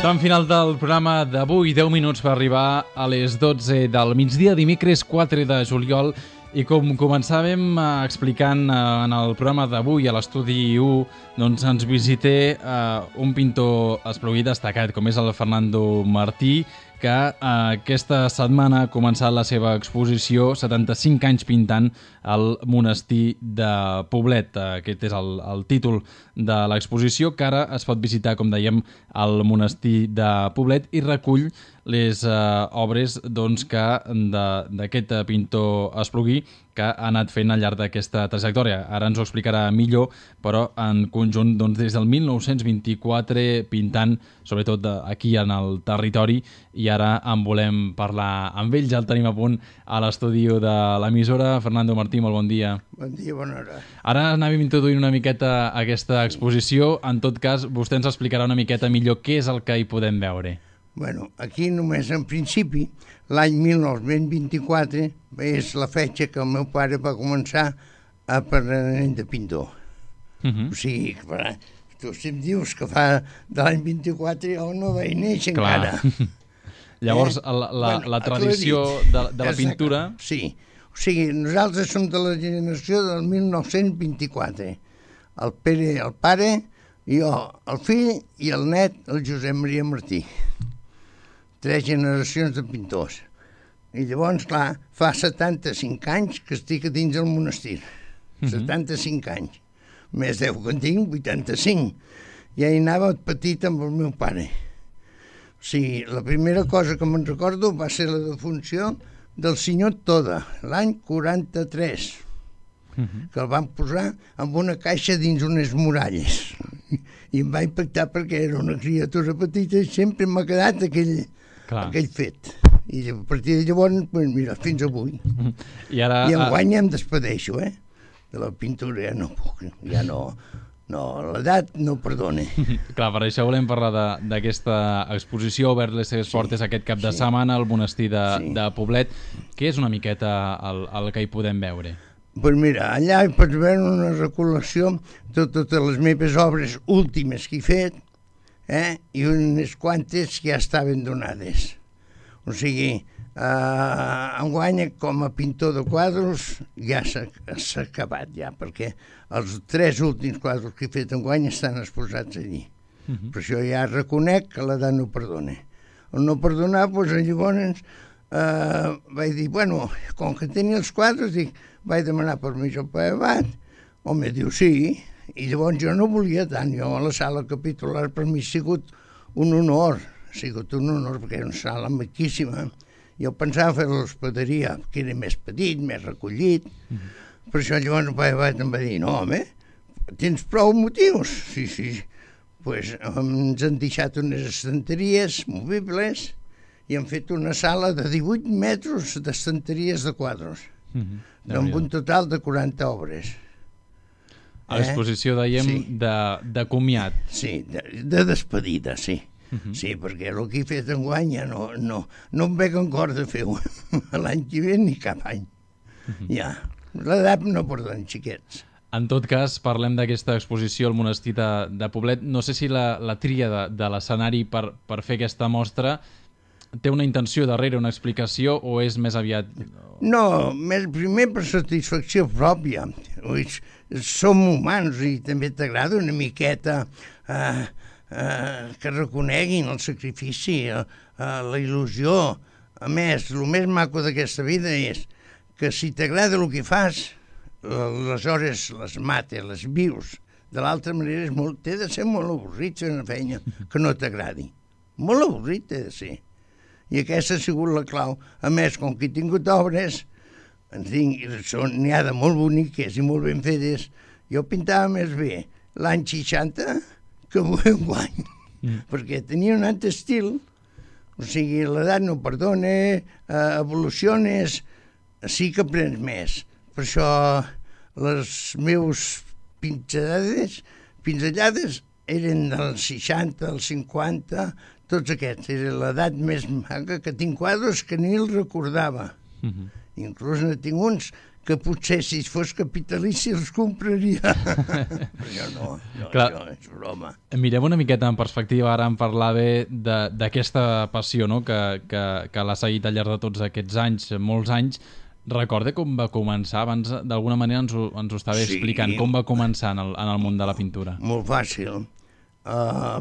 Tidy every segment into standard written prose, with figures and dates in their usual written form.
Tram final del programa d'avui, 10 minuts per arribar a les 12 del migdia, dimecres 4 de juliol. I com començàvem explicant en el programa d'avui a l'estudi 1, doncs ens visité un pintor esplogui destacat, com és el Fernando Martí, que aquesta setmana ha començat la seva exposició 75 anys pintant al monestir de Poblet. Aquest és el títol de l'exposició, que ara es pot visitar, com dèiem, al monestir de Poblet i recull les obres d'aquest pintor esplogui que ha anat fent al llarg d'aquesta trajectòria. Ara ens ho explicarà millor, però en conjunt des del 1924 pintant, sobretot aquí en el territori, i ara en volem parlar amb ell. Ja el tenim a punt a l'estudi de l'emissora. Fernando Martí, molt bon dia. Bon dia, bona hora. Ara anàvem introduint una miqueta aquesta exposició. En tot cas, vostè ens explicarà una miqueta millor què és el que hi podem veure. Bueno, aquí només en principi, l'any 1924 és la fetge que el meu pare va començar a aprenent de pintor. O sigui, tu si em dius que fa de l'any 24 jo no vaig néixer encara. Llavors, la tradició de la pintura... Sí, o sigui, nosaltres som de la generació del 1924. El Pere, el pare, jo, el fill i el net, el Josep Maria Martí. 3 generacions de pintors. I llavors, clar, fa 75 anys que estic a dins del monestir. 75 anys. Més 10 que en tinc, 85. Ja hi anava petit amb el meu pare. O sigui, la primera cosa que me'n recordo va ser la defunció del senyor Toda, l'any 43, que el van posar en una caixa dins unes muralles. I em va impactar perquè era una criatura petita i sempre m'ha quedat aquell fet. I a partir de llavors, mira, fins avui. I enguany em despedeixo, de la pintura ja no puc, ja no, l'edat no perdona. Clar, per això volem parlar d'aquesta exposició, obert les seves portes aquest cap de setmana al monestir de Poblet. Què és una miqueta el que hi podem veure? Doncs mira, allà hi pots veure una recol·lecció de totes les meves obres últimes que he fet, i unes quantes que ja estaven donades. O sigui, enguany com a pintor de quadros ja s'ha acabat ja, perquè els 3 últims quadros que he fet enguany estan exposats allí. Per això ja reconec que l'edat no perdona. El no perdonar, doncs llavors vaig dir, bueno, com que tenia els quadres, vaig demanar permís al Pare Abat, home, diu sí, i llavors jo no volia tant, jo a la sala capitular per mi ha sigut un honor, perquè era una sala maquíssima. Jo pensava fer l'hospederia, que era més petit, més recollit, Per això llavors el pare em va dir, no, home, tens prou motius? Sí. Pues ens han deixat unes estanteries movibles i han fet una sala de 18 metres d'estanteries de quadros, amb un total de 40 obres. A l'exposició, dèiem, de comiat. Sí, de despedida, sí. Sí, perquè el que he fet enguany ja no em veig en cor de fer-ho l'any que ve ni cap any. Ja, l'edat no perdona, xiquets. En tot cas, parlem d'aquesta exposició al monestir de Poblet. No sé si la tria de l'escenari per fer aquesta mostra té una intenció darrere, una explicació, o és més aviat... No, primer per satisfacció pròpia. Som humans i també t'agrada una miqueta que reconeguin el sacrifici, la il·lusió. A més, el més maco d'aquesta vida és que si t'agrada el que fas, aleshores les mates, les vius. De l'altra manera té de ser molt avorrit fer una feina que no t'agradi. Molt avorrit té de ser. I aquesta ha sigut la clau. A més, com que he tingut obres, n'hi ha de molt boniques i molt ben fetes, jo pintava més bé l'any 60 que enguany, perquè tenia un altre estil, o sigui, l'edat no perdona, evoluciones, sí que aprens més. Per això les meus pinzellades eren dels 60, dels 50, tots aquests. Era l'edat més maca, que tinc quadres que ni el recordava. Inclús ne tinc uns que potser si fos capitalici els compraria. Però no, és broma. Mirem una miqueta en perspectiva, ara en parlava d'aquesta passió, no? que l'ha seguit al llarg de tots aquests anys, molts anys. Recorda com va començar? Abans, d'alguna manera, ens ho estava explicant. Com va començar en el món de la pintura? Molt fàcil.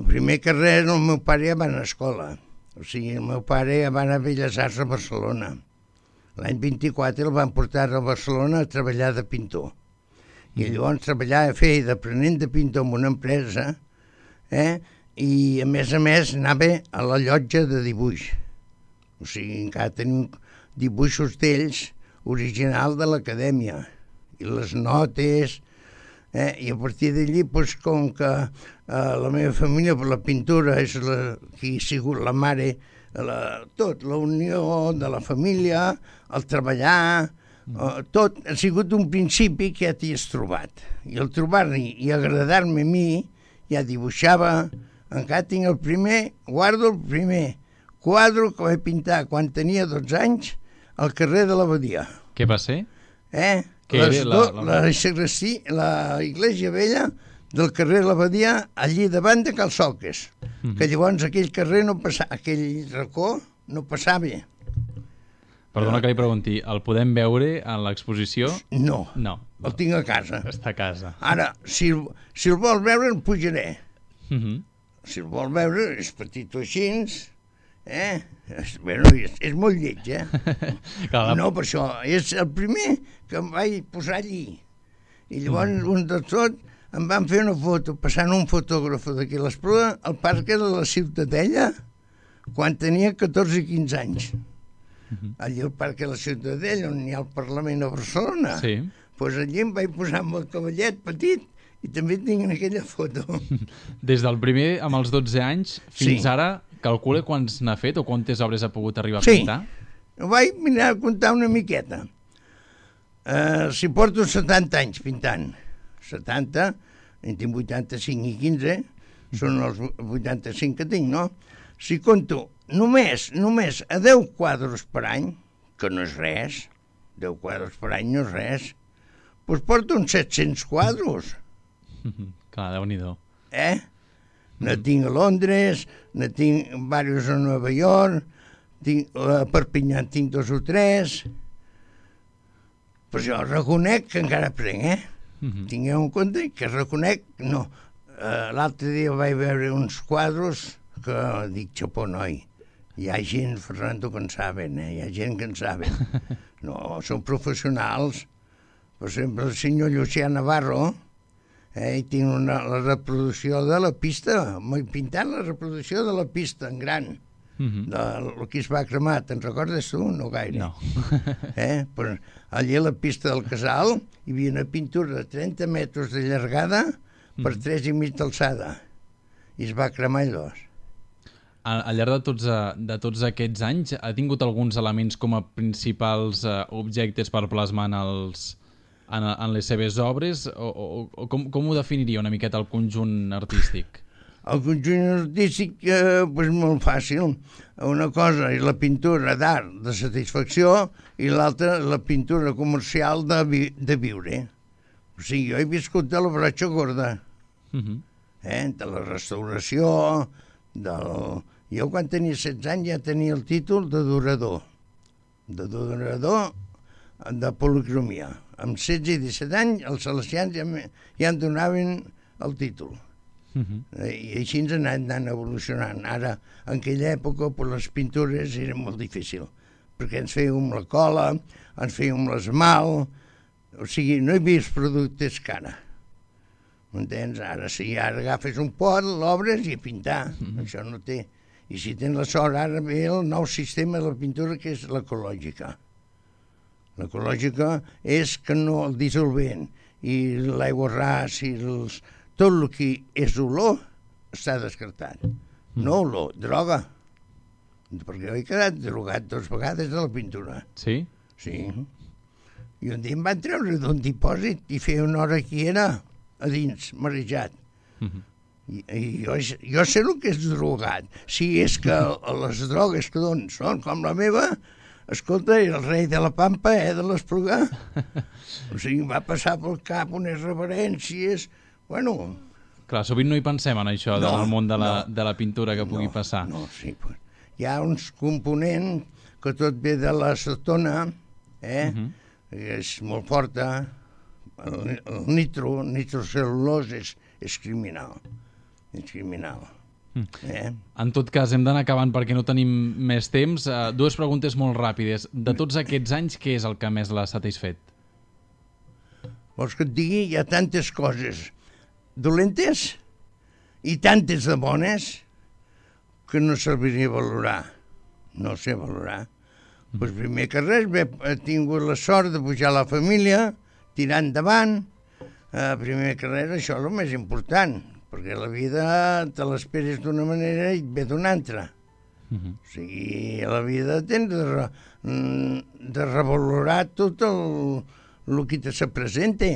Primer que res, el meu pare ja va anar a escola. O sigui, el meu pare ja va anar a Belles Arts a Barcelona. L'any 24 el van portar a Barcelona a treballar de pintor. I llavors treballava, feia d'aprenent de pintor en una empresa, i a més anava a la llotja de dibuix. O sigui, encara tenim dibuixos d'ells original de l'acadèmia. I les notes, i a partir d'allí, com que la meva família per la pintura és qui ha sigut la mare, tot, la unió de la família, el treballar, tot ha sigut un principi que ja t'hi has trobat. I el trobar-hi i agradar-me a mi, ja dibuixava, encara tinc el primer, guardo el primer quadre que vaig pintar quan tenia 12 anys al carrer de l'Abadia. Què va ser? La Iglesia Vella del carrer de l'Abadia, allí davant de Cal Soques, que llavors aquell carrer no passava, aquell racó no passava. Perdona que li pregunti, el podem veure en l'exposició? No, el tinc a casa. Està a casa. Ara, si el vol veure, el pujaré. Si el vol veure, és petit o així, Bueno, és molt lleig, No, per això, és el primer que em vaig posar allí. I llavors, un de tot, em van fer una foto, passant un fotògraf d'aquí a l'Espluga, al parc de la Ciutadella, quan tenia 14 i 15 anys. Allí al parc de la Ciutadella, on hi ha el Parlament a Barcelona. Sí. Doncs allí em vaig posar amb el cavallet petit i també tinc aquella foto. Des del primer, amb els 12 anys, fins ara, calcula quants n'ha fet o quantes obres ha pogut arribar a pintar? Sí, ho vaig mirar a comptar una miqueta. Si porto 70 anys pintant, 70, en tinc 85 i 15, són els 85 que tinc, no? Si compto només a 10 quadres per any, que no és res, 10 quadres per any no és res, doncs porto uns 700 quadres. Clar, Déu-n'hi-do. Ne tinc a Londres, ne tinc diversos a Nova York, a Perpinyà tinc 2 o 3. Però jo reconec que encara aprenc, Tingueu en compte que reconec, no. L'altre dia vaig veure uns quadres que dic, xapó, noi, hi ha gent, Fernando, que en saben, hi ha gent que en saben. No, són professionals. Per exemple, el senyor Llucià Navarro, i tinc la reproducció de la pista, m'he pintat la reproducció de la pista en gran, del que es va cremar. Te'n recordes tu? No gaire. No. Pues allà a la pista del Casal hi havia una pintura de 30 metres de llargada per 3,5 d'alçada. I es va cremar allò. Al llarg de tots aquests anys, ha tingut alguns elements com a principals objectes per plasmar en les seves obres? O com ho definiria una miqueta el conjunt artístic? El conjunt artístic és molt fàcil. Una cosa és la pintura d'art de satisfacció i l'altra la pintura comercial de viure. O sigui, jo he viscut de la broxa gorda, de la restauració, Jo quan tenia 16 anys ja tenia el títol de durador de policromia. Amb 16 i 17 anys els salesians ja em donaven el títol. I així ens han anat evolucionant. Ara, en aquella època, les pintures eren molt difícils, perquè ens fèiem la cola, ens fèiem l'esmalt, o sigui, no hi havia productes cara. M'entens? Ara agafes un pot, l'obres i a pintar. Això no té... I si tens la sort, ara ve el nou sistema de la pintura, que és l'ecològica. L'ecològica és que no el dissolvent i l'aigua ras i tot el que és olor està descartat. No olor, droga. Perquè jo he quedat drogat 2 vegades de la pintura. Sí? Sí. I un dia em van treure d'un dipòsit i feia una hora que era a dins, marejat. I jo sé el que és drogat. Si és que les drogues que donen són com la meva, escolta, el rei de la Pampa, de l'Esplugar. O sigui, em va passar pel cap unes reverències. Bueno... Clar, sovint no hi pensem en això, del món de la pintura que pugui passar. No, sí. Hi ha uns components que tot ve de l'acetona, que és molt forta. El nitrocel·lulosa és criminal. És criminal. En tot cas, hem d'anar acabant perquè no tenim més temps. 2 preguntes molt ràpides. De tots aquests anys, què és el que més l'ha satisfet? Vols que et digui? Hi ha tantes coses dolentes i tantes de bones que no serviria valorar. No sé valorar. Pues primer que res, he tingut la sort de pujar a la família, tirar endavant. Primer que res, això és el més important, perquè la vida te l'esperes d'una manera i et ve d'una altra. O sigui, a la vida tens de revalorar tot el que te se presenta.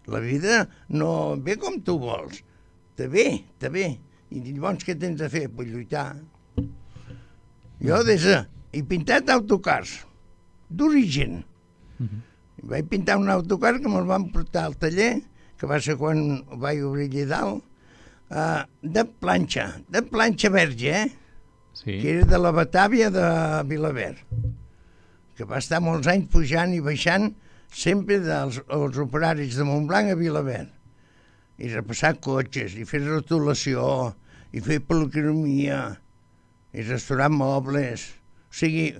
La vida no ve com tu vols, te ve. I llavors què tens de fer? Pues lluitar. Jo he pintat autocars, d'origen. Vaig pintar un autocar que me'l van portar al taller, que va ser quan vaig obrir allà dalt, de planxa verge, que era de la Batàvia de Vilaverd, que va estar molts anys pujant i baixant sempre dels operaris de Montblanc a Vilaverd, i repassar cotxes, i fer rotulació, i fer policromia, i restaurar mobles. O sigui,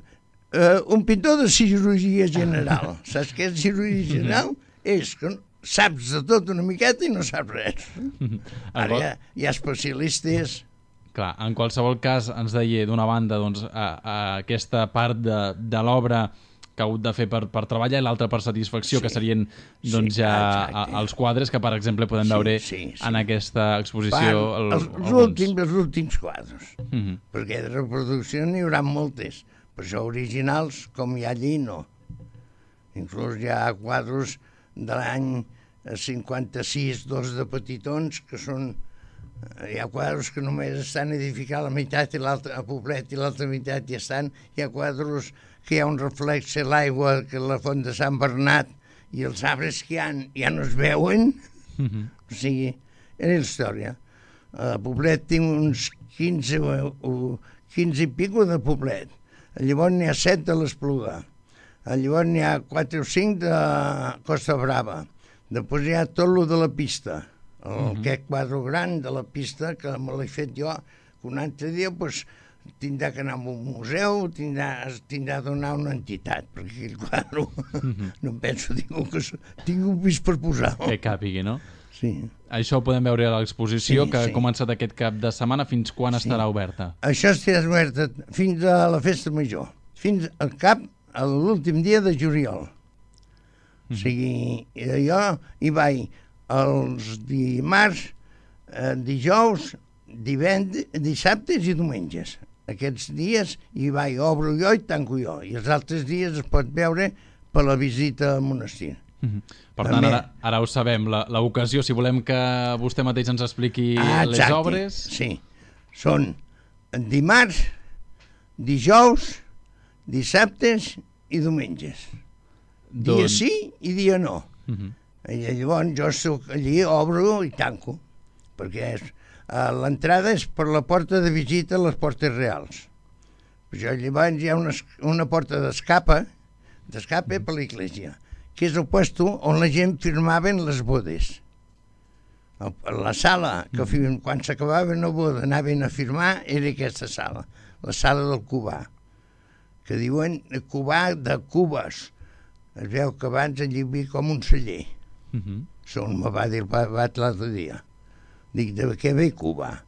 un pintor de cirurgia general. Saps què és cirurgia general? És que saps de tot una miqueta i no saps res. Ara hi ha especialistes. Clar, en qualsevol cas, ens deia d'una banda aquesta part de l'obra que ha hagut de fer per treballar i l'altra per satisfacció, que serien ja els quadres que, per exemple, podem veure en aquesta exposició. Els últims quadres, perquè de reproducció n'hi haurà moltes, però això originals, com hi ha allí, no. Inclús hi ha quadres de l'any 56, 2 de petitons, que són... Hi ha quadres que només estan edificats la meitat i l'altra a poblet i l'altra meitat ja estan. Hi ha quadres que hi ha un reflex a l'aigua, que la font de Sant Bernat, i els arbres que hi ha ja no es veuen. O sigui, era la història. A Poblet tinc uns 15 i pico de Poblet. Llavors n'hi ha 7 de l'Espluga. Llavors n'hi ha 4 o 5 de Costa Brava. Després hi ha tot el de la pista. Aquest quadre gran de la pista que me l'he fet jo, que un altre dia tindrà que anar a un museu, tindrà de donar una entitat, perquè aquell quadre no em penso, tinc un pis per posar. Que càpigui, no? Sí. Això ho podem veure a l'exposició, que ha començat aquest cap de setmana. Fins quan estarà oberta? Això estarà oberta fins a la festa major, fins al a l'últim dia de juliol. O sigui, jo hi vaig els dimarts, dijous, dissabtes i diumenges. Aquests dies hi vaig, obro jo i tanco jo, i els altres dies es pot veure per la visita al monestir. Per tant, ara ho sabem, l'ocasió, si volem que vostè mateix ens expliqui les obres... Sí, són dimarts, dijous, dissabtes i diumenges. Dia sí i dia no. I llavors jo soc allí, obro i tanco, perquè l'entrada és per la porta de visita a les Portes Reals. Llavors hi ha una porta d'escape per l'església, que és el puesto on la gent firmaven les bodes. La sala, que quan s'acabava una boda anaven a firmar, era aquesta sala, la sala del Cubà, que diuen Cubà de Cubes. Es veu que abans allí hi havia com un celler. Segons me va dir el Bat l'altre dia. Dic, de què ve Cuba?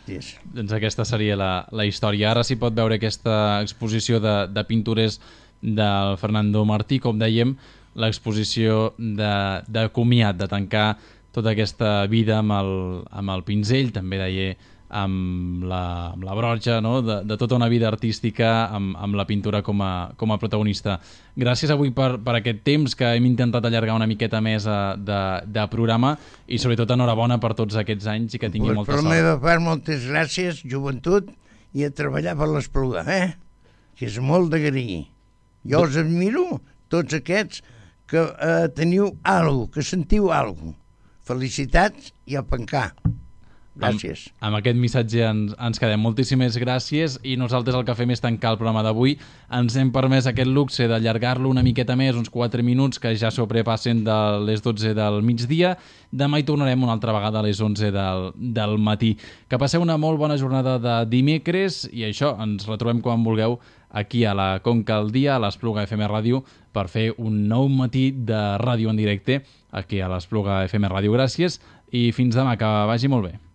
Doncs aquesta seria la història. Ara s'hi pot veure aquesta exposició de pintures del Fernando Martí, com dèiem, l'exposició de comiat, de tancar tota aquesta vida amb el pinzell, també deia amb la broja, no? de tota una vida artística amb la pintura com a protagonista. Gràcies avui per aquest temps que hem intentat allargar una miqueta més de programa, i sobretot enhorabona per tots aquests anys i que tingui molta sort. Per la meva part, moltes gràcies, joventut, i a treballar per l'Espluga, que és molt d'agrair. Jo us admiro, tots aquests, que teniu alguna cosa, que sentiu alguna cosa. Felicitats i a pencar. Gràcies. Amb aquest missatge ens quedem. Moltíssimes gràcies, i nosaltres el que fem és tancar el programa d'avui. Ens hem permès aquest luxe d'allargar-lo una miqueta més, uns 4 minuts, que ja sobrepassen de les 12 del migdia. Demà hi tornarem una altra vegada a les 11 del matí. Que passeu una molt bona jornada de dimecres, i això, ens retrobem quan vulgueu aquí a la Conca al Dia, a l'Espluga FM Ràdio, per fer un nou matí de ràdio en directe aquí a l'Espluga FM Ràdio. Gràcies i fins demà, que vagi molt bé.